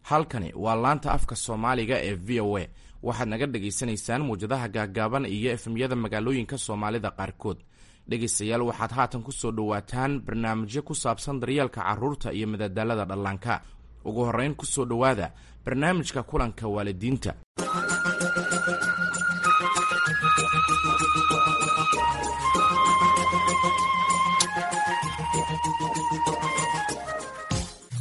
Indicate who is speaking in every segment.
Speaker 1: Halkani waa laanta afka Soomaaliga ee VOA. Waxaad naga dhagaysanaysaan muwjadaha gaaggaaban iyo FM-yada magaalooyinka Soomaalida qaarkood. Dhegaystayaal, waxaad haatan ku soo dhowaataan barnaamijyo ku saabsan daryeelka carruurta iyo madadaalada dhallaanka. Ugu horrayn, ku soo dhowaada barnaamijka kulanka waalidiinta.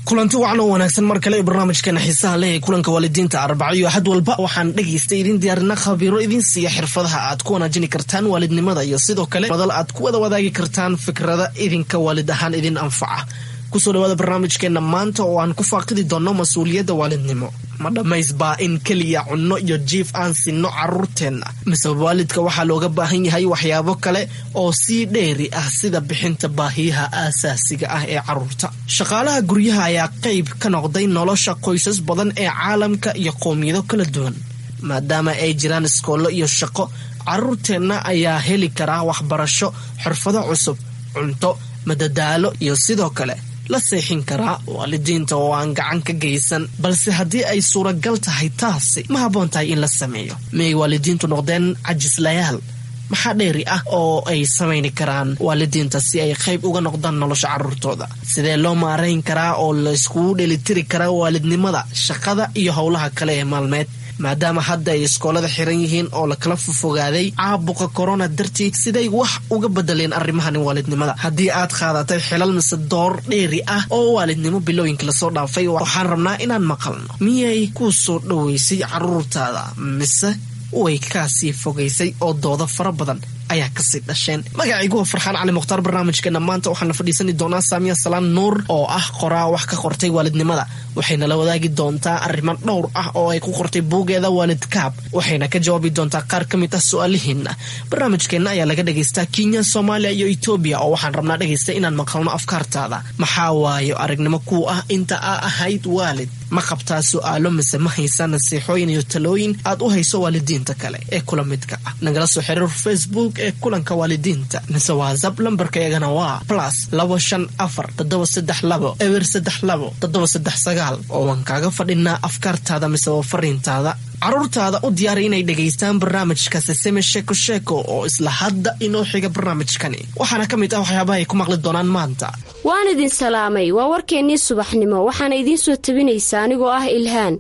Speaker 2: Kulanti wacan oo wanaagsan mar kale barnaamijkeena xiisaha leh ee kulanka waalidiinta. Arbaco iyo Axad walba waxaan dhegaysta idin diyaarina khabiiro idin siiya xirfadaha aad ku wanaajini kartaan waalidnimada iyo sidoo kale madal aad ku wada wadaagi kartaan fikrada idinka waalid ahaan idin anfaca. Kusoo dhawaada barnaamijkeena maanta oo aan ku faaqidi doonno mas-uuliyadda waalidnimo. Ma dhammaysbaa in keliya cunno iyo jiif aan sinno carruurteenna, mise waalidka waxaa looga baahan yahay waxyaabo kale oo sii dheeri ah, sida bixinta baahiyaha aasaasiga ah ee carruurta? Shaqaalaha guryaha ayaa qayb ka noqday nolosha qoysas badan ee caalamka iyo qowmiyado kala duwan. Maadaama ay jiraan iskoollo iyo shaqo, carruurteenna ayaa heli karaa waxbarasho, xirfado cusub, cunto, madadaalo iyo sidoo kale la seexin karaa waalidiinta oo aan gacan ka geysan. Balse haddii ay suuragal tahay taasi, ma habboon tahay in la sameeyo? Miyay waalidiintu noqdeen cajislayaal? Maxaa dheeri ah oo ay samayni karaan waalidiinta si ay qayb uga noqdaan nolosha carruurtooda? Sidee loo maarayn karaa oo layskugu dhelitiri karaa waalidnimada, shaqada iyo howlaha kale ee maalmeed, maadaama hadda ay iskoolada xiran yihiin oo lakala fofogaaday caabuqa corona dartii? Siday wax uga bedeleen arrimahani waalidnimada? Haddii aad qaadatay xilal mise door dheeri ah oo waalidnimo bilooyinka lasoo dhaafay, waxaan rabnaa inaan maqalno: miyay kuu soo dhoweysay carruurtaada mise way kaasii fogaysay oo doodo fara badan ayaa kasii dhasheen? Magacaygu waa Farxaan Cali Mukhtaar. Barnaamijkeena maanta waxaan la fadhiisani doonaa Saamiya Salaan Nuur oo ah qoraa wax ka qortay waalidnimada. Waxayna la wadaagi doontaa arrimo dhowr ah oo ay ku qortay buugeeda Waalidkaab, waxayna ka jawaabi doontaa qaar ka mid ah su-aalihiina. Barnaamijkeenna ayaa laga dhagaystaa Kenya, Soomaaliya iyo Etoobiya, oo waxaan rabnaa, dhegaysta, inaan maqalno afkaartaada. Maxaa waayo aragnimo kuu ah inta aa ahayd waalid? Ma qabtaa su-aalo mise ma haysaa nasiixooyin iyo talooyin aad u hayso waalidiinta kale ee kula midka ah? Nagala soo xiriir Facebook ee kulanka waalidiinta mise WhatsApp. Lambarka iyagana waa +254 732 032 739, oo waan kaaga fadhinaa afkaartaada mise waa fariintaada. Carruurtaada u diyaari inay dhegaystaan barnaamijka Siseme Sheeko Sheeko oo isla hadda inoo xiga barnaamijkani. Waxaana ka mid ah waxyaabaha ay ku maqli doonaan maanta.
Speaker 3: Waan idin salaamay. Waa warkeennii subaxnimo, waxaana idiin soo tabinaysaa anigoo ah Ilhaan.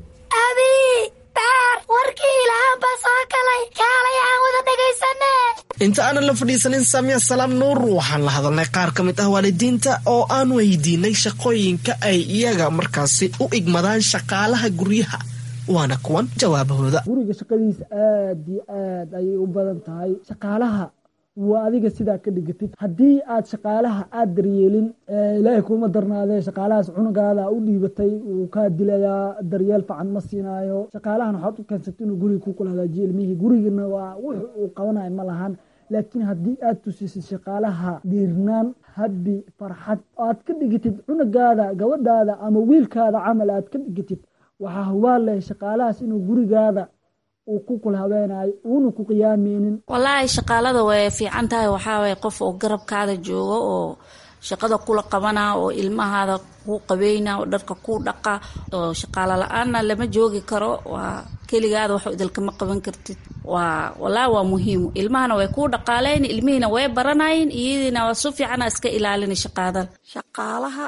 Speaker 4: Abi daar, warkii Ilhaan baa soo galay, kaalay aan wada dhegaysane.
Speaker 2: Inta aanan la fadhiisanin Saamiya Salaam Nuur, waxaan la hadalnay qaar ka mid ah waalidiinta oo aan weydiinay shaqooyinka ay iyaga markaasi u igmadaan shaqaalaha guryaha, waana kuwan jawaabahooda.
Speaker 5: Guriga shaqadiisa aad iyo aad ayay u badan tahay. Shaqaalaha waa adiga sidaa ka dhigatid. Haddii aad shaqaalaha aad daryeelin, Ilaahay kuma darnaadee, shaqaalahaas cunugaada u dhiibatay wuu kaa dilayaa, daryeel fican ma siinaayo. Shaqaalahan waxaad u keensatay inuu guriga ku kula hagaajiyo ilmihii, gurigana waa wux uu qabanayo ma lahan. Laakiin haddii aad tusisid shaqaalaha dhiirnaan, habi, farxad, aad ka dhigatid cunugaada, gabadhaada ama wiilkaada camal aad ka dhigatid, waxaa hubaal leh shaqaalahaas inuu gurigaada uu ku kula habeenaayo, uuna ku qiyaameynin.
Speaker 6: Wallaahi, shaqaalada way fiican tahay. Waxaa waye qof oo garabkaada joogo oo shaqada kula qabana oo ilmahaada kuu qabeyna oo dharka kuu dhaqa, oo shaqaalo la-aanna lama joogi karo. Waa keligaada wax idilkama qaban kartid. Waa wallaahi waa muhiim. Ilmahana way kuu dhaqaaleyn, ilmihiina way baranayin, iyadiina waa su fiicana iska ilaalina shaqaadada.
Speaker 7: Shaqaalaha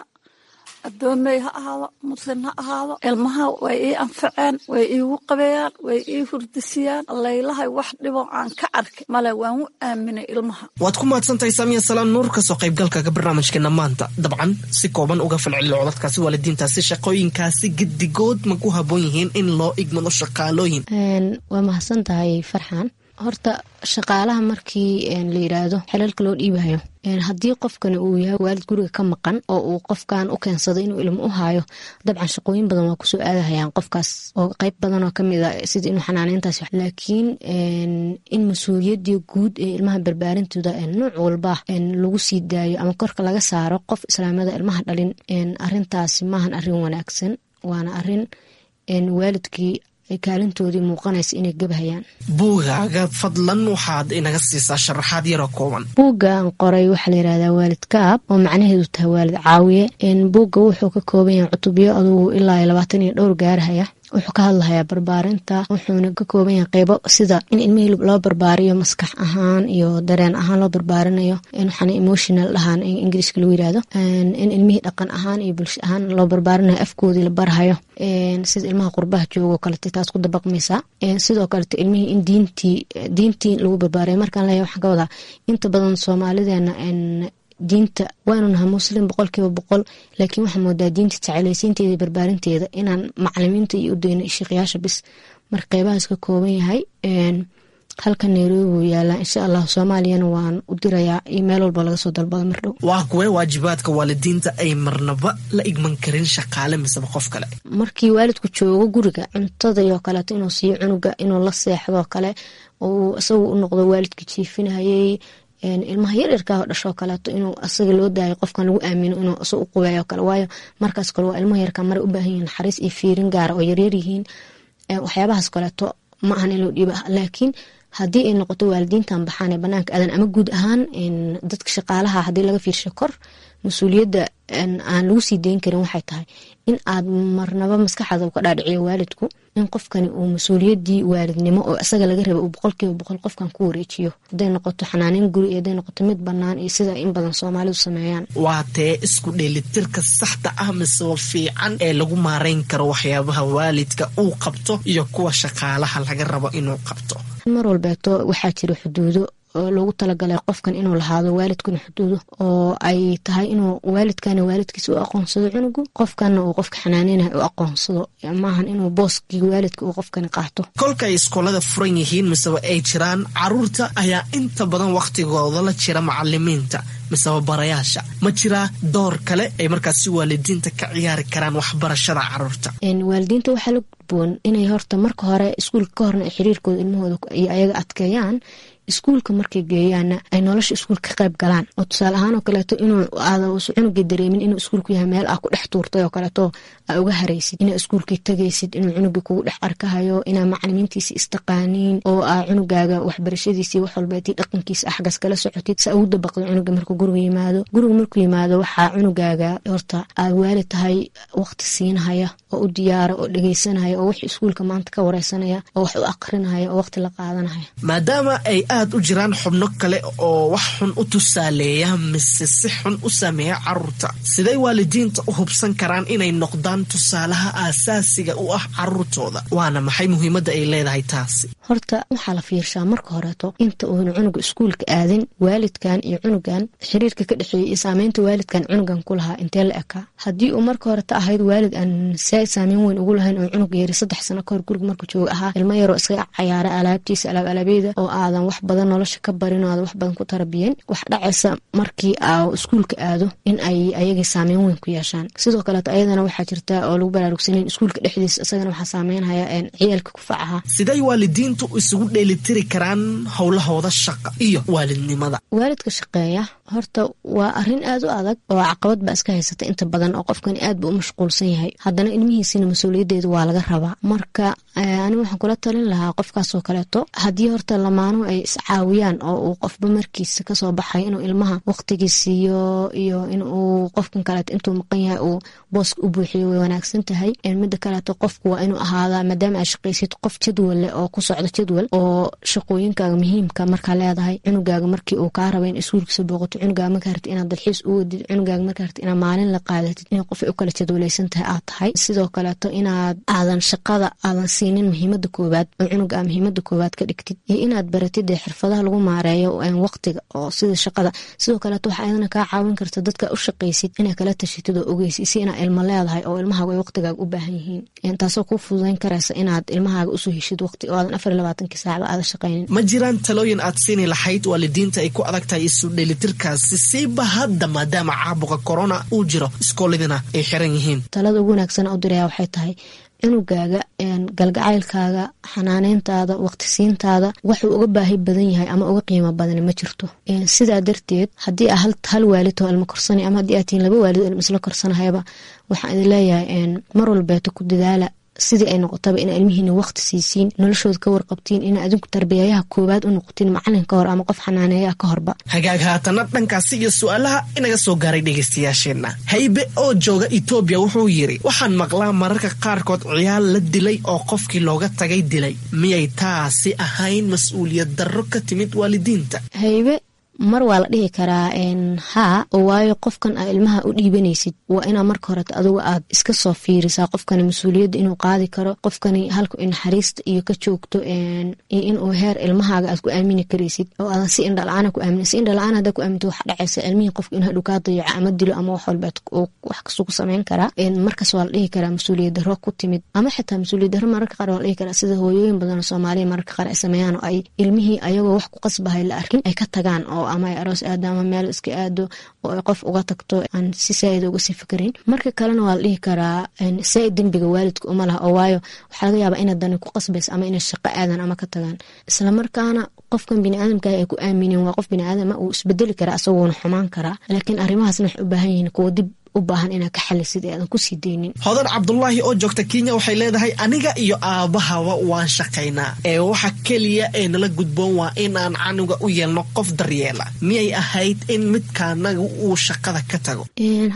Speaker 7: adoomey ha ahaado, muslim ha ahaado, ilmaha way ii anfaceen, way iigu qabeeyaan, way ii hurdisiyaan. Laylahay wax dhibo aan ka arkay male, waan u aaminay ilmaha.
Speaker 2: Waad ku mahadsantahay, Saamiya Salaan Nuur, kasoo qaybgalkaga barnaamijkeena maanta. Dabcan, si kooban uga falcelilo codadkaasi waalidiintaasi. Shaqooyinkaasi gedigood ma ku habboon yihiin in loo igmado shaqaalooyin?
Speaker 8: Waa mahadsan tahay, Farxan. Horta shaqaalaha markii la yiraahdo xilalka loo dhiibayo, haddii qofkani uu yahay waalid guriga ka maqan oo uu qofkan u keensado inuu ilmo u haayo, dabcan shaqooyin badan waa kusoo aadahayaan qofkaas oo qeyb badan oo kamid a sida inuu xanaaneyntaas. Laakiin in mas-uuliyadii guud ee ilmaha barbaarintooda nooc walba lagu sii daayo ama korka laga saaro qof islaamada ilmaha dhalin, arintaasi maahan arin wanaagsan, waana arin waalidkii ay kaalintoodii muuqanaysa inay gabhayaan.
Speaker 2: Buugaaga fadlan waxaad inaga siisaa sharaxaad yaroo kooban.
Speaker 8: Buuggaan qoray waxaa la yirahdaa Waalid Kaab, oo macnaheedu tahay waalid caawiye. Buugga wuxuu ka kooban yahay cutubyo adugu ilaa 20 iyo dhowr gaarhaya. Wuxuu ka hadlahayaa barbaarinta, wuxuuna ka kooban yahay qeybo sida in ilmihii loo barbaariyo maskax ahaan iyo dareen ahaan loo barbaarinayo, waxaana emotional dhahaan Ingiriiska lagu yirahdo, in ilmihii dhaqan ahaan iyo bulsho ahaan loo barbaarinayo, afkoodii la barhayo, sida ilmaha qurbaha joogo kalete taas ku dabaqmaysaa. Sidoo kalete ilmihii in diintii lagu barbaariyo. Markaan leeyahay waxaan ka wadaa inta badan Soomaalideena diinta waanu nahay Muslim 100%, laakiin waxaa moodaa diinta jecelaysiinteeda iyo barbaarinteeda inaan macalimiinta iyo u dayno sheekhayaasha bis. Marka qeybahaas ka kooban yahay. Halka Nairobi buu yaalaa, insha Allah Soomaaliyana waan u dirayaa iyo meel walba laga soo dalbada mar dhow.
Speaker 2: Waa kuwee waajibaadka waalidiinta ay marnaba la igman karin shaqaale miseba qof kale?
Speaker 8: Markii waalidku joogo guriga, cuntada iyo kaleeto inuu siiyo cunuga, inuu la seexdoo kale, oo isagu u noqdo waalidka jiifinayay. Ilmaha yaryarkaa dhashoo kaleeto inuu asaga loo daayo, qofkan lagu aamino inuu isaga u qubeeyo kale, waayo markaas kale waa ilmaha yarkaa maray u baahan yihiin naxariis iyo fiirin gaara oo yaryar yihiin. Waxyaabahaas kaleeto ma ahan in loo dhiiba, laakiin haddii ay noqoto waalidiintan baxaan ee banaanka aadan ama guud ahaan dadka shaqaalaha, haddii laga fiirsho kor, mas-uuliyadda aan lagu sii dayn karin waxay tahay in aad marnaba maskaxaada u ka dhaadhiciyo waalidku in qofkani uu mas-uuliyaddii waalidnimo oo isaga laga raba uu 100% qofkan ku wareejiyo, hadday noqoto xanaaneyn guri iyo hadday noqoto mid bannaan iyo sida in badan Soomaalidu sameeyaan.
Speaker 2: Waa tee isku dheelitirka saxda ah miseba fiican ee lagu maareyn karo waxyaabaha waalidka uu qabto iyo kuwa shaqaalaha laga rabo inuu qabto?
Speaker 8: Mar walbeeto waxaa jira xuduudo oo loogu talagalay qofkan inuu lahaado, waalidkuna xuduudo oo ay tahay inuu waalidkana waalidkiisa u aqoonsado cunugu, qofkana uu qofka xanaaneynayo u aqoonsado, maahan inuu booskii waalidka uu qofkani qaato.
Speaker 2: Kolka ay iskoolada furan yihiin miseba ay jiraan, caruurta ayaa inta badan wakhtigooda la jira macalimiinta miseba barayaasha. Ma jiraa door kale ay markaasi waalidiinta ka ciyaari karaan waxbarashada caruurta?
Speaker 8: Waalidiinta waxaa la gudboon inay horta marka hore iskuulka ka horna ay xiriirkooda ilmahooda iyo ayaga adkeeyaan, iskuulka markay geeyaana ay nolosha iskuulka ka qayb galaan, oo tusaale ahaan oo kaleeto inuu aada cunugii dareemin inuu iskuulku yahay meel aa ku dhex tuurtay oo kaleeto aa uga haraysid, inaa iskuulkii tagaysid, inuu cunugii kugu dhex arkahayo, inaa macalimiintiisi istaqaaniin, oo aa cunugaaga waxbarashadiisii wax walbeetii dhaqankiisa axgas kala socotid, sa ugu dabaqdo cunuga markuu guriga yimaado. Guriga markuu yimaado waxaa cunugaaga horta aad waalid tahay waqti siinhaya oo u diyaara oo dhegeysanaya oo wix iskuulka maanta ka wareysanaya oo wax u aqrinaya oo waqti la qaadanaya.
Speaker 2: Maadaama ay aad u jiraan xubno kale oo wax xun u tusaaleeya mise si xun u saameeya caruurta, siday waalidiinta u hubsan karaan inay noqdaan tusaalaha aasaasiga u ah caruurtooda? Waana maxay muhiimadda ay leedahay taasi?
Speaker 8: Horta waxaa la fiirshaa marka horeeto inta uuna cunuga iskuulka aadin waalidkan iyo cunugan xiriirka ka dhexeeyay iyo saameynta waalidkan cunugan ku lahaa intee la ekaa. Haddii uu marka horeta ahayd waalid aan saameyn weyn ugu lahayn oo cunuga yari 3 sano kahor guriga markuu jooga ahaa ilmo yaroo iskaga cayaara alaabtiisa alaab alaabyada oo aadan wax badan nolosha ka barin oo aadan wax badan ku tarabiyen, wax dhacaysa markii aa iskuulka aado in ay ayagii saameyn weyn ku yeeshaan. Sidoo kaleeto ayadana waxaa jirta oo lagu baraarugsanayn iskuulka dhexdiisa isagana waxaa saameynhaya ciyaalka kufacaha.
Speaker 2: Siday waalidiintu isugu dheelitiri karaan howlahooda shaqa iyo waalidnimada?
Speaker 8: Waalidka shaqeeya horta waa arrin aad u adag oo caqabad baa iska haysata inta badan, oo qofkani aad buu u mashquulsan yahay, haddana ilmihiisina mas-uuliyaddeedu waa laga rabaa. Marka anigu waxaan kula talin lahaa qofkaasoo kaleeto haddii horta lamaanuhu ay iscaawiyaan oo uu qofba markiisa kasoo baxay inuu ilmaha waqtigii siiyo iyo inuu qofkan kaleeto intuu maqan yahay uu booska u buuxiyo way wanaagsan tahay. Mida kaleeto qofku waa inuu ahaadaa, maadaama aad shaqaysid, qof jadwal leh oo ku socdo jadwal oo shaqooyinkaaga muhiimka markaa leedahay, cunugaaga markii uu kaa raba in iskuulkiisa booqato, cunugaaga markaa rabtid inaad dalxiis u wadid, cunugaaga markaa rabtid inaad maalin la qaadatid, in qof ay u kala jadwalaysan tahay aad tahay. Sidoo kaleeto inaad aadan shaqada aadan siinin muhiimada koowaad oo cunuga aa muhiimada koowaad ka dhigtid, iyo inaad baratid dee xirfadaha lagu maareeyo waqtiga oo sida shaqada. Sidoo kaleeto waxaa ayadana kaa caawin karta dadka u shaqaysid inaad kala tashatid oo ogeysid si inaad ilmo leedahay oo ilmahaaga ay waqtigaaga u baahan yihiin, taasoo kuu fududayn karaysa inaad ilmahaaga usoo heshid waqti oo aadan 24-kii saacba aadan shaqaynin.
Speaker 2: Ma jiraan talooyin aad siini lahayd waalidiinta ay ku adag tahay isu dheelitirkaasi, siiba hadda maadaama caabuqa corona uu jiro, iskooladina ay xiran yihiin?
Speaker 8: Talada ugu wanaagsan u diraya waxay tahay cunugaaga galgacaylkaaga, xanaaneyntaada, waqtisiintaada waxuu uga baahi badan yahay ama uga qiimo badan ma jirto. Sidaa darteed haddii aa hal waalid oo ilmo korsanay ama haddii aad tihiin laba waalid oo ilmo isla korsanahayaba, waxaan idin leeyahay mar walbeeto ku dadaala Sidii ay noqotaba ina ilmihiina waqti siisiin, noloshooda ka warqabtiin, ina adinku tarbiyayaha koowaad u noqotiin, macalin ka hor ama qof xanaaneeyaha ka horba.
Speaker 2: Hagaag, haatana dhankaasi iyo su-aalaha inaga soo gaaray dhegaystayaasheenna. Haybe oo jooga Etoobiya wuxuu yidhi: waxaan maqlaa mararka qaarkood ciyaal la dilay oo qofkii looga tagay dilay. Miyay taasi ahayn mas-uuliyad darro ka timid waalidiinta?
Speaker 8: Haybe, mar waa la dhihi karaa haa, oo waayo qofkan aa ilmaha u dhiibanaysid waa inaa marka horeta adugu aad iska soo fiirisaa qofkani mas-uuliyadda inuu qaadi karo, qofkani halku naxariista iyo ka joogto, iyo inuu heer ilmahaaga aad ku aamini karaysid oo aadan si indhala-aana ku aamin. Si indhala-aan haddaa ku aaminto, waxa dhacaysa ilmihii qofka inuu hadhow kaa dayaco ama dilo ama wax walba wax kastuu ku sameyn karaa. Markaas waa la dhihi karaa mas-uuliyad darro ku timid, ama xitaa mas-uuliyad darro mararka qaar waa la dhihi karaa sida hooyooyin badan oo Soomaaliya mararka qaar ay sameeyaan, oo ay ilmihii ayagoo wax ku qasbahay la arkin ay ka tagaan, oo ama ay aroos aado ama meel iska aado oo ay qof uga tagto aan si saaid uga sii fikerin. Marka kalena waa la dhihi karaa saaid dembiga waalidka uma laha, oo waayo waxaa laga yaabaa inay dani ku qasbaysa ama inay shaqo aadan ama ka tagaan. Islamarkaana qofkan biniaadamka ay ku aamineen waa qof biniaadama, uu isbedeli karaa, isagoona xumaan karaa, laakiin arrimahaasna waxay u baahan yihiin kuwa dib u baahan inaad ka xalisid ee aadan kusii daynin.
Speaker 2: Hodan Cabdulaahi oo joogta Kenya waxay leedahay: aniga iyo aabahaba waan shaqaynaa, ee waxa keliya ee nala gudboon waa inaan canuga u yeelno qof daryeela. Miyay ahayd in midkaanaga uu shaqada ka tago?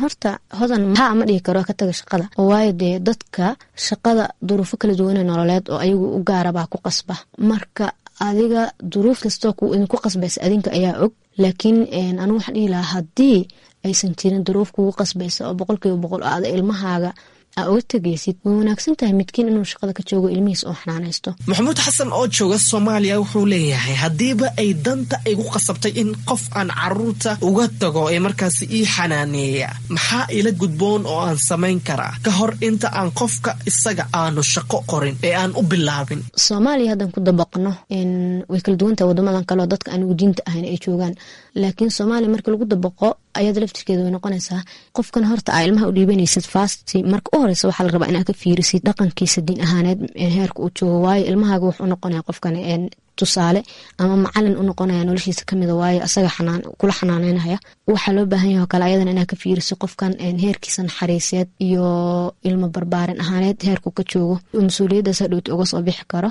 Speaker 8: Horta Hodan, haa, ma dhihi karo ka taga shaqada, oo waayo dee dadka shaqada duruufo kala duwane nololeed oo ayagu u gaarabaa ku qasba. Marka adiga duruuf kastoo ku idinku qasbaysa adinka ayaa og, laakiin anigu waxaan dhihi lahaa haddii aysan jirin duruuf kugu qasbaysa oo 100% aada ilmahaaga aa uga tegaysid, way wanaagsan tahay midkiin inuu shaqada ka joogo, ilmihiis oo xanaanaysto.
Speaker 2: Maxamuud Xasan oo jooga Soomaaliya wuxuu leeyahay: haddiiba ay danta igu qasabtay in qof aan caruurta uga tago ee markaasi ii xanaaneeya, maxaa ila gudboon oo aan samayn karaa ka hor inta aan qofka isaga aanu shaqo qorin ee aan u bilaabin?
Speaker 8: Soomaaliya haddaan ku dabaqno, way kala duwantahay wadamadan kale oo dadka anigu diinta ahayn ay joogaan, laakiin Soomaaliya marka lagu dabaqo ayada laftirkeeda way noqonaysaa qofkan horta aa ilmaha u dhiibanaysid first, marka u horeysa waxaa la rabaa inaad ka fiirisid dhaqankiisa diin ahaaneed heerka uu joogo, waayo ilmahaaga wuxuu noqonaya qofkan tusaale ama macalin u noqonaya noloshiisa kamida, waayo asaga kula xanaaneynaya. Waxaa loo baahan yahay oo kale ayadana inaad ka fiiriso qofkan heerkiisa naxariiseed iyo ilmo barbaarin ahaaneed heerku ka joogo, mas-uuliyaddaas hadhowta uga soo bixi karo.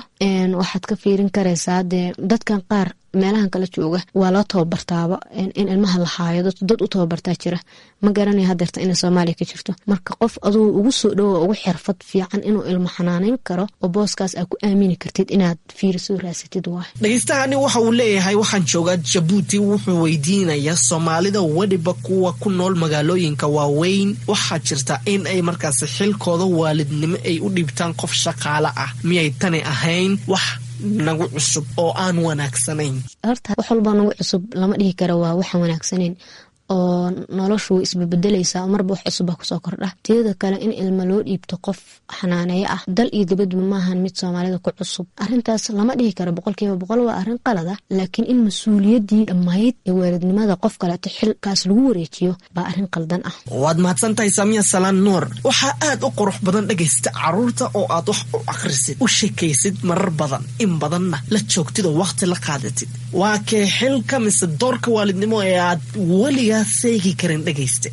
Speaker 8: Waxaad ka fiirin karaysaa dee dadkan qaar meelahan kala jooga waa loo tababartaaba in ilmaha la haayo, dad u tababartaa jira. Ma garanaya hadeerta inay Soomaaliya ka jirto. Marka qof aduu ugu soo dhowo, ugu xirfad fiican inuu ilmo xanaaneyn karo oo booskaas aad ku aamini kartid inaad fiiriso, raasatid waay.
Speaker 2: Dhegeystahaani waxa uu leeyahay: waxaan joogaa Jabuuti. Wuxuu weydiinayaa: Soomaalida, weliba kuwa ku nool magaalooyinka waaweyn, waxaa jirta in ay markaasi xilkooda waalidnimo ay u dhiibtaan qof shaqaale ah. Miyay tani ahayn wax nagu cusub oo aan wanaagsanayn?
Speaker 8: Horta wax walbaa nagu cusub lama dhihi karo waa waxaan wanaagsanayn, oo noloshu way isbebedelaysaa, marba wax cusub baa kusoo kordha. Teeda kale, in ilmo loo dhiibto qof xanaaneeyo ah dal iyo dibadba maahan mid Soomaalida ku cusub. Arrintaas lama dhihi karo 100% waa arrin qalad ah, laakiin in mas-uuliyaddii dhammayd ee waalidnimada qof kaleeto xilkaas lagu wareejiyo baa arrin qaldan ah.
Speaker 2: Waad mahadsan tahay, Saamiya Salaan Nuur. Waxaa aad u qurux badan, dhegaysta, caruurta oo aad wax u akhrisid, u sheekaysid marar badan, in badanna la joogtid oo wakhti la qaadatid. Waa kee xilka mise doorka waalidnimo ee aad weligaa seegi karin, dhegayste?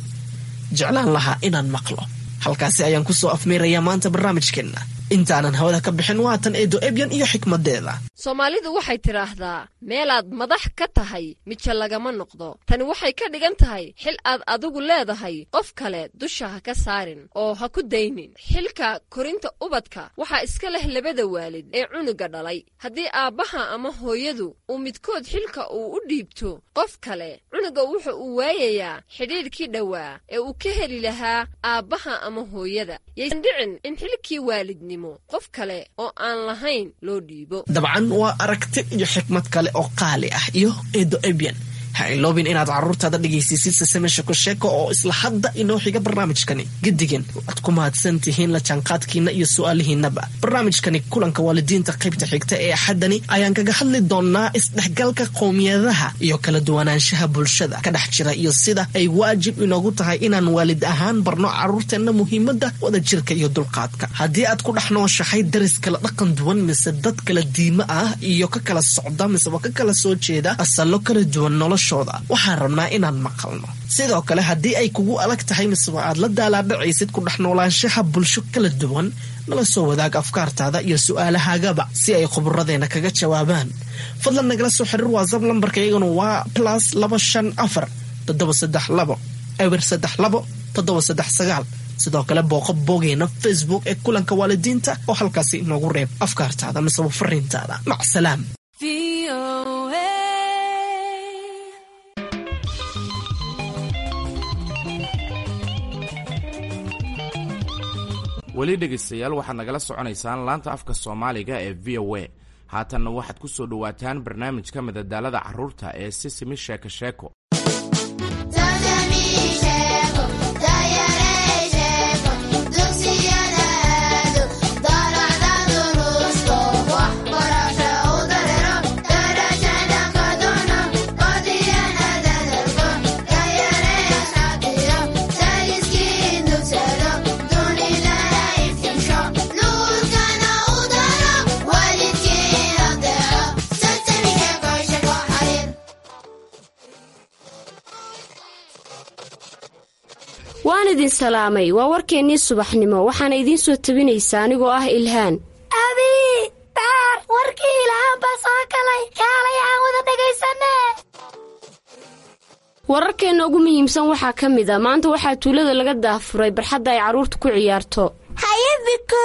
Speaker 2: Jeclaan lahaa inaan maqlo. Halkaasi ayaan kusoo afmeerayaa maanta barnaamijkeenna. Intaanan hawada ka bixin, waatan Eedo Ebyan iyo xikmadeeda.
Speaker 9: Soomaalidu waxay tidhaahdaa: meelaad madax ka tahay mija lagama noqdo. Tani waxay ka dhigan tahay xil aad adigu leedahay qof kale dusha ha ka saarin oo ha ku daynin. Xilka korinta ubadka waxaa iska leh labada waalid ee cunuga dhalay. Haddii aabbaha ama hooyadu uu midkood xilka uu u dhiibto qof kale, cunuga wuxa uu waayayaa xidhiidhkii dhowaa ee uu ka heli lahaa aabbaha ama hooyada. Yaysan dhicin in xilkii waalidnimo qof kale oo aan lahayn loo dhiibo.
Speaker 2: Dabcan waa aragti iyo xikmad kale oo qaali ah iyo Eedo Ebyan. Ha iloobin inaad carruurtaada dhegaysiisid Sesame Sheeko Sheeko oo isla hadda inoo xiga barnaamijkani. Gedigan waad ku mahadsan tihiin la jaanqaadkiina iyo su-aalihiinaba. Barnaamijkani kulanka waalidiinta qaybta xigta ee Axaddani ayaan kaga hadli doonaa isdhexgalka qowmiyadaha iyo kala duwanaanshaha bulshada ka dhex jira, iyo sida ay waajib inoogu tahay inaan waalid ahaan barno carruurteenna muhiimadda wadajirka iyo dulqaadka. Haddii aad ku dhex nooshahay daris kala dhaqan duwan mise dad kala diimo ah iyo ka kala socda miseba ka kala soo jeeda asallo kala duwan, nolosha noloshooda. Waxaan rabnaa inaan maqalno. Sidoo kale, haddii ay kugu adag tahay miseba aad la daalaadhacaysid ku dhex noolaanshaha bulsho kala duwan, nala soo wadaag afkaartaada iyo su-aalahaagaba si ay khuburadeena kaga jawaabaan. Fadlan nagala soo xiriir WhatsApp, lambarka iyaguna waa +254 732 032 739. Sidoo kale booqo bogeena Facebook ee Kulanka Waalidiinta oo halkaasi inoogu reeb afkaartaada miseba fariintaada. Macsalaam.
Speaker 1: Weli dhegaystayaal, waxaad nagala soconaysaan laanta afka Soomaaliga ee VOA. Haatanna waxaad ku soo dhowaataan barnaamijka madadaalada carruurta ee Sisimi Sheeko Sheeko.
Speaker 3: Waan idin salaamay. Waa warkeennii subaxnimo, waxaana idiin soo tabinaysaa anigoo ah Ilhaan.
Speaker 4: Abi, Baar, warkii Ilhaan baa soo galay. Kaalay aan wada dhagaysane.
Speaker 3: Wararkeenna ugu muhiimsan waxaa ka mid a: maanta waxaa tuulada laga daafuray barxadda ay carruurtu ku ciyaarto.
Speaker 4: Haye Biku,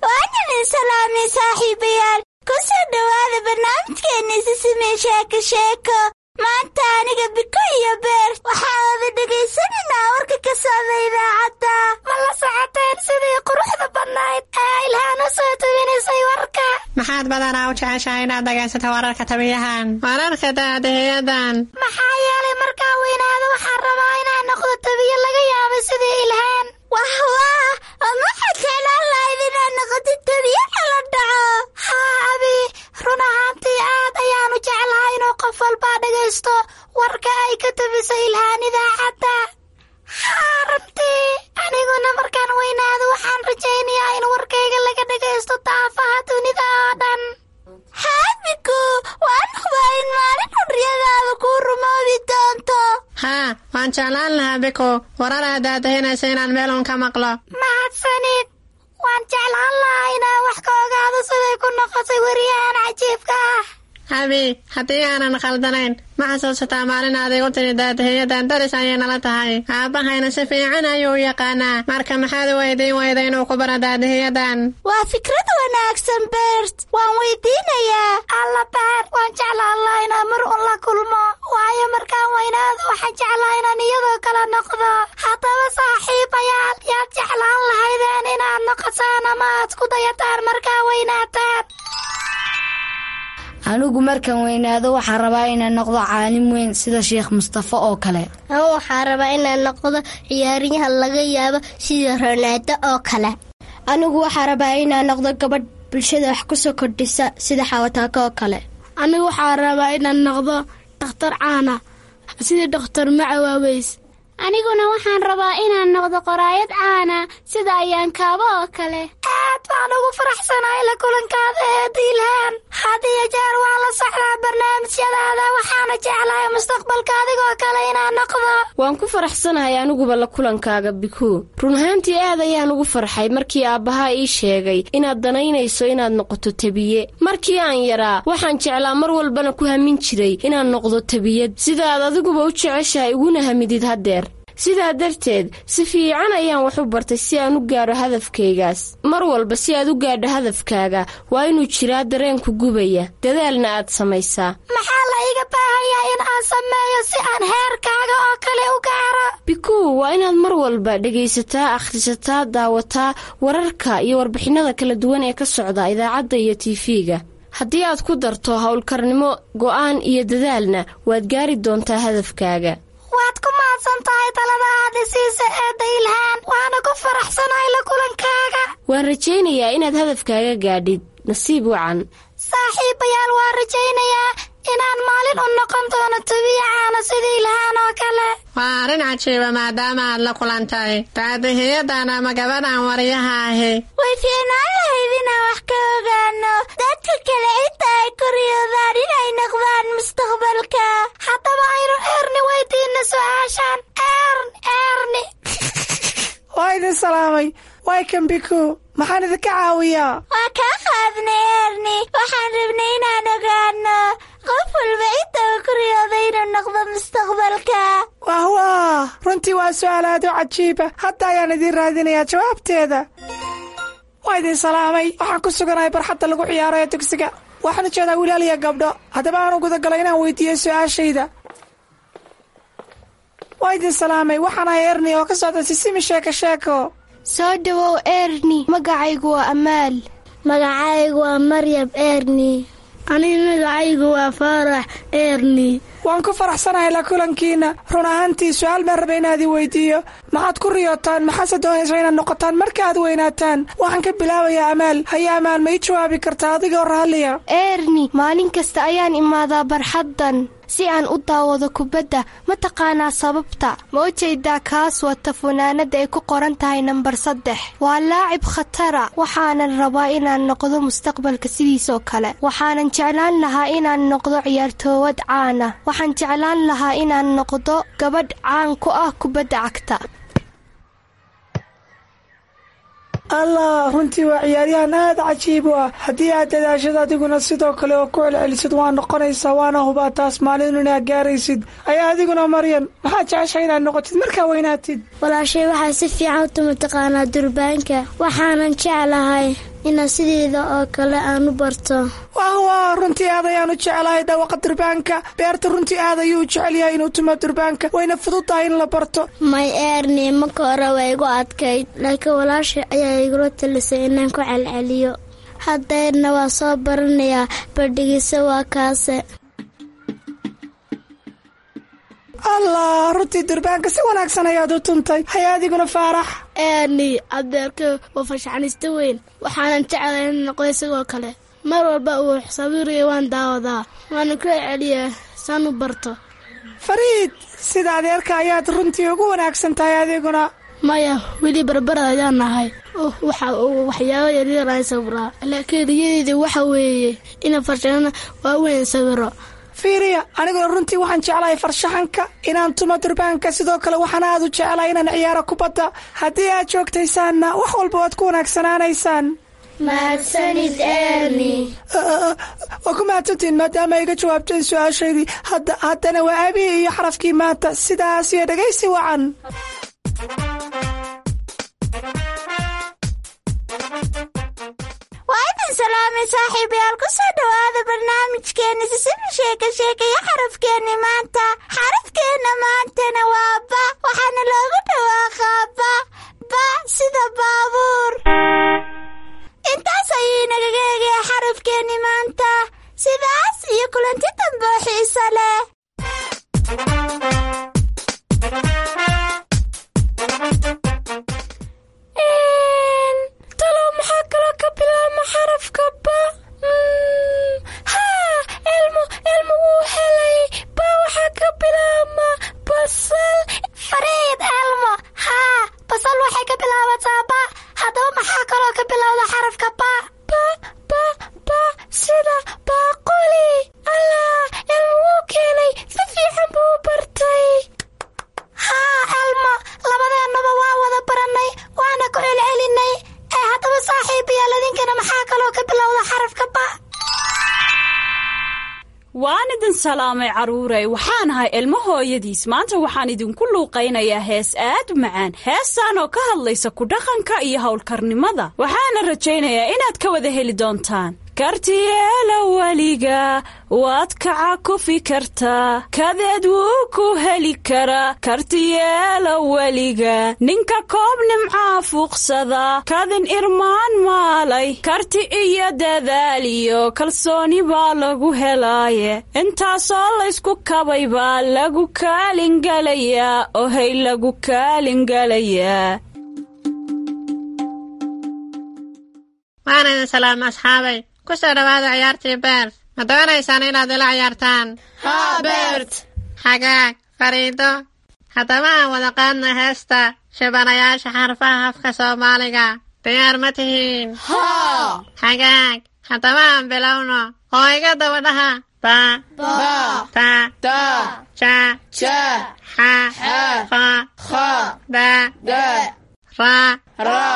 Speaker 4: waan idin salaamay saaxiibayaal. Ku soo dhowaada barnaamijkeenni Sisimi Sheeko Sheeko. Maanta aniga, Biko iyo Beer waxaan wada dhegaysanaynaa warka ka socda idaacadda. Ma la socoteen sidii quruxda badnayd ee Ilhaan u soo tabinaysay warka?
Speaker 10: Maxaad badanaa u jeceshahay inaad dhegaysato wararka tabiyahan, wararka daadahiyadan?
Speaker 4: Maxaa yeelay markaan weynaado waxaan rabaa inaan noqdo tabiye laga yaabay sidii Ilhaan. Wah wah, ma waxaad jeclaan lahayd inaad noqotid tabiye kala dhaco? Haa abi, run ahaantii aad ayaanu jeclahay inuu qof walbaa dhagaysto warka ay ka tabisay Ilhaan idaacadda. Haa, runtii aniguna markaan weynaado waxaan rajaynayaa in warkayga laga dhagaysto daafaha dunida oo dhan. Haa Biku, waan hubaa in maalin xurriyadaada kuu rumoobi doonto.
Speaker 10: Haa, waan jeclaan lahaa Biko warar aad daadahinaysa inaan meel uun ka maqlo.
Speaker 4: Mahadsanid. Waan jeclaan lahaa inaan wax ka ogaado siday ku noqotay weriyahan cajiibka ah.
Speaker 10: Abi, haddii aanan khaldanayn, ma xasuusataa maalin aad igu tiri daadahiyadan daris ayay nala tahay, aabbahayna si fiican ayuu u yaqaanaa? Marka maxaad u weydiin weyda inuu ku baro daadahiyadan?
Speaker 4: Waa fikrad wanaagsan, Bert. Waan weydiinayaa. Alla Beer, waan jeclaan lahaa inaan mar un la kulmo, waayo markaan weynaado waxaan jeclaa inaan iyadoo kale noqdo. Haddaba saaxiibayaal, yaad jeclaan lahaydeen inaad noqotaan ama aad ku dayataan markaa weynaataan?
Speaker 11: Anigu markaan weynaado waxaan rabaa inaan noqdo caalim weyn sida Sheekh Mustafa oo kale.
Speaker 12: Anigu waxaan rabaa inaan noqdo ciyaaryahan laga yaabo sida Ronaldo oo kale.
Speaker 13: Anigu waxaa rabaa inaan noqdo gabadh bulshada wax ku soo kordhisa sida Xawataako oo kale.
Speaker 14: Anigu waxaa rabaa inaan noqdo dhakhtar caana sida Dhakhtar Macawaaweys.
Speaker 15: Aniguna waxaan rabaa inaan noqdo qoraayad caana sida Ayaan Kaabo oo kale.
Speaker 4: Aad baan ugu faraxsanahay la kulankaada, eeda Ilhaan. Had iyo jeer waan la socdaa barnaamijyadaada, waxaana jeclahay mustaqbalka adigoo kale inaan noqdo.
Speaker 3: Waan ku faraxsanahay aniguba la kulankaaga, Bikuu. Run ahaantii aad ayaan ugu farxay markii aabbahaa ii sheegay inaad danaynayso inaad noqoto tabiye. Markii aan yaraa waxaan jeclaa, mar walbana ku hamin jiray inaan noqdo tabiyad, sidaad adiguba u jeceshahay uguna hamidid haddeer. Sidaa darteed si fiican ayaan wax u bartay si aan u gaadho hadafkaygaas. Mar walba si aad u gaadho hadafkaaga waa inuu jiraa dareenku gubaya, dadaalna aad samaysaa.
Speaker 4: Maxaa la iga baahayaa in aan sameeyo si aan heerkaaga oo kale u gaaro?
Speaker 3: Bikuu, waa inaad mar walba dhegaysataa, akhrisataa, daawataa wararka iyo warbixinnada kala duwan ee ka socda idaacadda iyo TV-ga. Haddii aad ku darto howlkarnimo, go'aan iyo dadaalna, waad gaari doontaa hadafkaaga.
Speaker 4: Waad ku mahadsan tahay talada aad isiisa, eedda Ilhaan, waana ku faraxsanahay la kulankaaga.
Speaker 3: Waan rajaynayaa inaad hadafkaaga gaadhid. Nasiib wacan.
Speaker 4: Saaxiibayaal, waan rajaynayaa inaan maalin u noqon doono tabiya caana sida Ilhaan oo kale.
Speaker 10: Waa arrin cajiiba maadaama aad la kulantay daadihiyadan ama gabadhan waryaha ahi.
Speaker 4: Way fiicnaan lahayd inaan wax ka ogaano dadka kale inta ay ku riyoodaan inay noqdaan mustaqbalka. Haddaba aynu
Speaker 16: Waa kan Biku, maxaan idinka caawiyaa?
Speaker 4: Waa kaa qaadnay, Erni. Waxaan rabnay inaan ogaano qof walba inta uu ku riyooday inuu noqdo mustaqbalka.
Speaker 16: Wah wah, runtii waa su'aal aad u cajiiba. Hadda ayaan idiin raadinayaa jawaabteeda. Waa idin salaamay. Waxaan ku suganahay barxadda lagu ciyaaro ee dugsiga. Waxaan u jeedaa wilaal iyo gabdho. Haddaba aan u gudagalay inaan weydiiyo su'aashayda. Waa idin salaamay. Waxaan ahay Erni oo ka socda Sisimi Sheeko Sheeko.
Speaker 13: Soo dhawow, Erni. Magacaygu waa Amaal.
Speaker 12: Magacaygu waa Maryam, Erni.
Speaker 14: Aniga magacaygu waa Faarax, Erni.
Speaker 16: Waan ku faraxsanahay la kulankiina. Run ahaantii su-aal baan rabay inaad i weydiiyo. Maxaad ku riyootaan? Maxaase doonaysaa inaad noqotaan marka aad weynaataan? Waxaan ka bilaabayaa Amaal. Haye Amaal, ma ii jawaabi kartaa adigoo raalliya?
Speaker 13: Erni, maalin kasta ayaan imaadaa barxaddan si aan u daawado kubadda. Ma taqaanaa sababta? Ma u jeedaa kaas wata funaanadda ay ku qoran tahay nambar 3? Waa laacib khatara. Waxaanan rabaa inaan noqdo mustaqbalka sidiisoo kale. Waxaanan jeclaan lahaa inaan noqdo ciyaartoowad caana. Waxaan jeclaan lahaa inaan noqdo gabadh caan ku ah kubadda cagta.
Speaker 16: Allah, runtii waa ciyaaryahan aad cajiib u ah. Haddii aad dadaashad adiguna sidoo kale oo ku celcelisid, waa noqonaysaa, waana hubaa taas maalin inaad gaaraysid. Ayaa adiguna Maryam, maxaad jeceshay inaad noqotid markaa weynaatid?
Speaker 12: Walaashay waxaa si fiican u tuma taqaanaa durbaanka. Waxaanan jeclahay inaan sideeda oo kale aan u barto.
Speaker 16: Wah wah, runtii aad ayaan u jeclahay dhawaqa durbaanka. Beerta runtii aad ayuu u jecel yahay inuu tumo durbaanka, wayna fudud tahay in la barto.
Speaker 12: May Erni, marka hore waa igu adkayd, laakiin walaashay ayaa igula talisay inaan ku celceliyo. Haddeerna waa soo baranayaa. Badhigisa waa kaase.
Speaker 16: Allah, runtii durbaanka si wanaagsan ayaad u tuntay. Haya adiguna Faarax.
Speaker 14: Erni, adeerka waa farshaxanista weyn. Waxaanan jeclahay in noqdo isagoo kale. Mar walba uu sawirayo waan daawadaa, waana ku celceliyaa saan u barto.
Speaker 16: Fariid, sida adeerka ayaad runtii ugu wanaagsan tahay adiguna.
Speaker 14: Maya, weli barbarad ayaan nahay. Waxa uu waxyaabo yaryar aan sawiraa, laakiin riyadeyda waxa weeye inaan farshaxano waaweyn sawiro.
Speaker 16: Fiiriya, aniguna runtii waxaan jeclahay farshaxanka, inaan tumo durbaanka. Sidoo kale waxaan aad u jeclahay inaan ciyaaro kubadda. Haddii aad joogtaysaanna, wax walba waad ku wanaagsanaanaysaan.
Speaker 12: Mahadsanid, Erni.
Speaker 16: Waa ku mahadsantihiin maadaama iga jawaabteen su-aashaydii. Haddana waa abihi iyo xarafkii maanta. Sidaas iyo dhegaysi wacan.
Speaker 4: Waa idin salaamay, saaxiibayaal. Ku soo dhowaada barnaamijkeenna Sisimi Sheeka Sheeka iyo xarafkeenni maanta. Xarafkeenna maantana waa ba, waxaana loogu dhawaaqaa ba, ba sida baabuur. Intaas ayuu inagaga egaya xarafkeenni maanta. Sidaas iyo kulanti dambe oo xiiso leh.
Speaker 3: Talow maxaa kaloo ka bilaabma xarafka ba? Haa, Elmo, Elmo wuu helay. Ba waxaa ka bilaabma basal.
Speaker 4: Fariid, Elmo, haa, basal waxay ka bilaabataa ba. Haddaba maxaa kaloo ka bilowda xarafka ba?
Speaker 3: Ba, ba, ba sida baaquli. Allah, Elmo wuu keenay. Si fiican buu u bartay.
Speaker 4: Haa Elmo, labadeennaba waa wada barannay, waana ku celcelinay. Ee haddaba saaxiibayaal, idinkana maxaa kaloo ka bilowda xarafka ba?
Speaker 17: Waan idin salaamay, carruurey. Waxaan ahay Ilmo hooyadiis. Maanta waxaan idinku luuqaynayaa hees aad u macaan, heestaan oo ka hadlaysa ku dhaqanka iyo howlkarnimada. Waxaana rajaynayaa inaad ka wada heli doontaan. Kartiyeela weliga waad kaca kufi kartaa, kadeed wuu ku heli karaa. Kartiyeela weliga ninka koob nimcaa fuuqsada, kadin irmaan maalay. Karti iyo dadaal iyo kalsooni baa lagu helaaye, intaasoo laysku kabay baa lagu kaalingalayaa. Ohay, lagu kaalingalayaa.
Speaker 10: Waan idin salaama, asxaabay. Ku soo dhowaada ciyaartii Bert. Ma doonaysaan inaad ila ciyaartaan?
Speaker 14: Haa, Bert.
Speaker 10: Xagaag, Fariido. Haddaba aan wada qaadna heesta shibanayaasha xarfaha afka Soomaaliga. Diyaar ma tihiin?
Speaker 14: Haa.
Speaker 10: Xagaag, haddaba aan bilowno oo iga daba dhaha: ba, ta, ja, xa, kha, da, ra,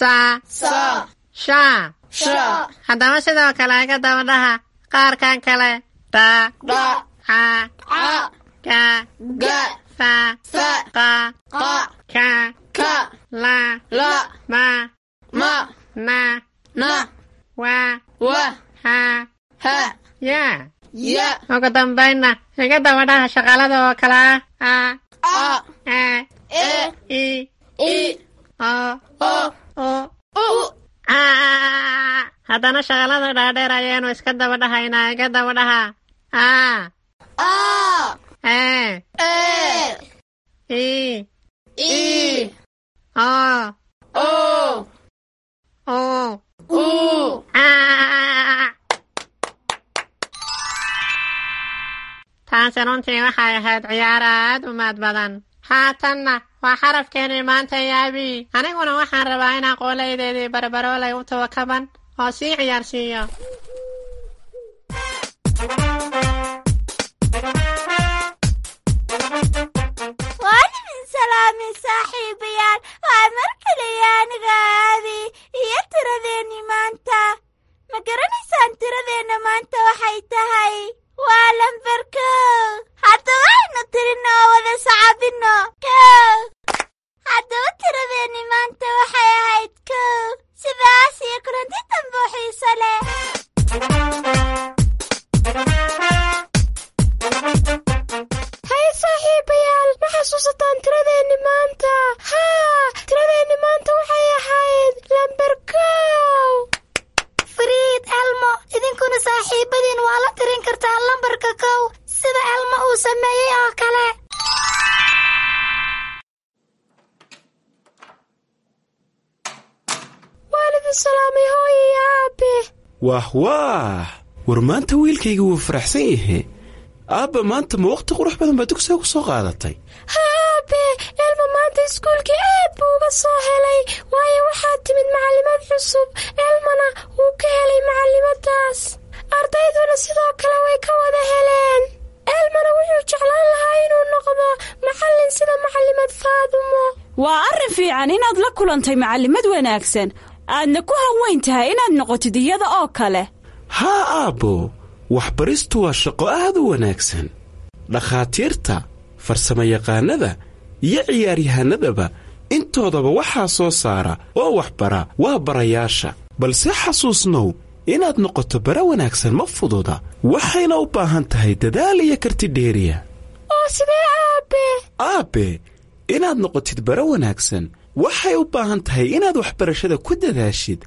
Speaker 10: Sa, sha. Haddaba sidoo kale iga daba dhaha qaarkan kale: da, ca, ga, fa, qa, ka, la, ma, na, wa, ha, ya. Ugu dambaynna iga daba dhaha shaqalada oo kale ah: a, e, i, o, u, a. Haddana shaqalada dhaadheer ayaanu iska daba dhahaynaa. Iga daba dhaha: a, e, i, o, u, a. Taasi runtii waxay ahayd ciyaar aad u maad badan. Haatanna waa xarafkeenii maanta yaabi. Aniguna waxaan rabaa inaan qooleydeedii barbaroolay u tawakaban oo sii ciyaarsiiyo.
Speaker 4: Waan idin salaamay, saaxiibayaal. Waa mar kaliya aniga Aabi iyo tiradeenni maanta. Ma garanaysaan tiradeenna maanta waxay tahay? Waa lambar 1. Haddaba aynu tirino oo wada sacabino: 1. Haddaba tiradeenni maanta waxay ahayd 1. Sidaas iyo kulanti dambe oo xiiso leh.
Speaker 13: Hay saaxiibayaal, ma xasuusataan tiradeenni maanta? Haa, tiradeenni maanta waxay ahayd lambar 1.
Speaker 4: Fariid, Elmo, idinkuna saaxiibadiin waa la tirin kartaa lambarka 1, sida Elmo uu sameeyey oo kale.
Speaker 13: Waan idin salaamay, hooyo iyo aabe.
Speaker 18: Wah waah, war maanta wiilkayga wuu faraxsan yahe. Aabba, maanta ma waqti qurux badan baa dugsiga ku soo qaadatay?
Speaker 13: Haa aabe, Elmo maanta iskuulkii aad buu uga soo helay, waayo waxaa timid macallimad cusub. Elmona wuu ka helay macallimadaas, ardayduna sidoo kale way ka wada heleen. Elmona wuxuu jeclaan lahaa inuu noqdo macallin sida macallimad Faadumo.
Speaker 17: Waa arrin fiican inaad la kulantay macallimad wanaagsan, aadna ku hanweyn tahay inaad noqotid iyada oo kale.
Speaker 18: Haa aabbo, waxbaristu waa shaqo aad u wanaagsan. Dhakhaatiirta, farsamayaqaannada iyo ciyaaryahanadaba intoodaba waxaa soo saara oo waxbara waa barayaasha. Balse xasuusnow, inaad noqoto bara wanaagsan ma fududa, waxayna u baahan tahay dadaal iyo karti dheeriya.
Speaker 13: Oo sidee aabe?
Speaker 18: Aabbe, inaad noqotid bara wanaagsan waxay u baahan tahay inaad waxbarashada ku dadaashid,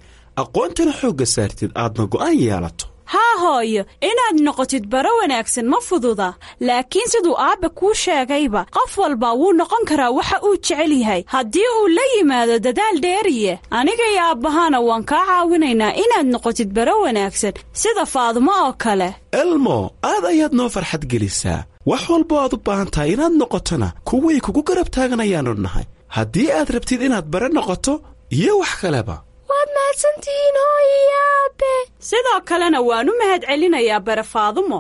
Speaker 18: aqoontana xoogga saartid, aadna go'aan yeelato.
Speaker 17: Haa hooyo, inaad noqotid baro wanaagsan ma fududa, laakiin siduu aabbe kuu sheegayba, qof walba wuu noqon karaa waxa uu jecel yahay haddii uu la yimaado dadaal dheeriye. Aniga iyo aabbahana waan kaa caawinaynaa inaad noqotid baro wanaagsan sida Faadumo oo kale.
Speaker 18: Elmo, aad ayaad noo farxad gelisaa. Wax walbo aad u baahan tahay inaad noqotona, kuwii kugu garab taaganayaannu nahay, haddii aad rabtid inaad bare noqoto iyo wax kaleba.
Speaker 13: Waad mahadsantihiin, hooyo iyo aabe.
Speaker 17: Sidoo kalena waan u mahad celinayaa bare Faadumo.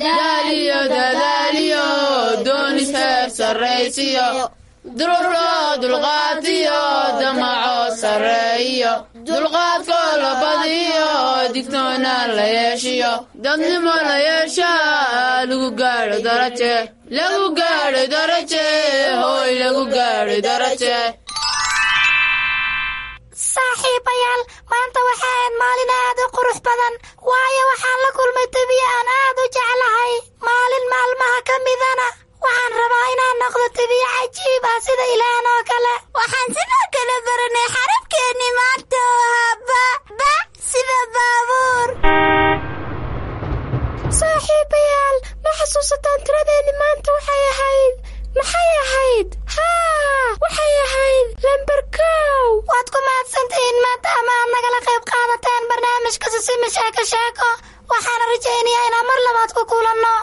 Speaker 19: Daaliyo dadaaliyo, doonis heer sarraysiyo, dururoo dulqaatiyo, damaco sarreeyo, dulqaadkoo la badiyo, digtoonaan la yeeshiyo, dadnimo la yeeshaa, lagu gaadho daraje, lagu gaadho daraje, hooy lagu gaadho daraje.
Speaker 4: Saaxiibayaal, maanta waxa ahayd maalin aad u qurux badan, waayo waxaan la kulmay tabiye aan aad u jeclahay. Maalin maalmaha ka midana waxaan rabaa inaan noqdo tabiye cajiib ah sida Ilaahan oo kale. Waxaan sidoo kale baranay xarafkeennii maanta oo ahaa ba, ba sida baabuur.
Speaker 13: Saaxiibayaal, ma xasuusataan tiradeenni maanta waxay ahayd? Maxay ahayd? Haa, waxay ahayd lambar 1.
Speaker 4: Waad ku mahadsantihiin maadaama aad nagala qayb qaadateen barnaamijka Sisimi Sheeko Sheeko. Waxaana rajaynayaa inaan mar labaad ku kulanno.